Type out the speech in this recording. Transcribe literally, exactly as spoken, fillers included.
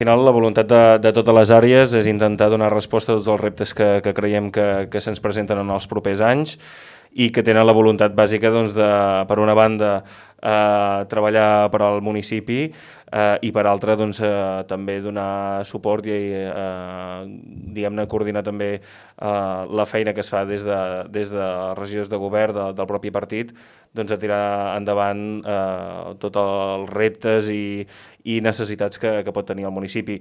Al final, la voluntat de, de totes les àrees és intentar donar resposta a tots els reptes que, que creiem que, que se'ns presenten en els propers anys i que tenen la voluntat bàsica, doncs, de, per una banda, eh, treballar per al municipi eh, i per altra, doncs, eh, també donar suport i eh, diguem-ne coordinar també eh, la feina que es fa des de, des de regidors de govern de, del propi partit, doncs, a tirar endavant eh, tots els reptes i, i necessitats que, que pot tenir el municipi.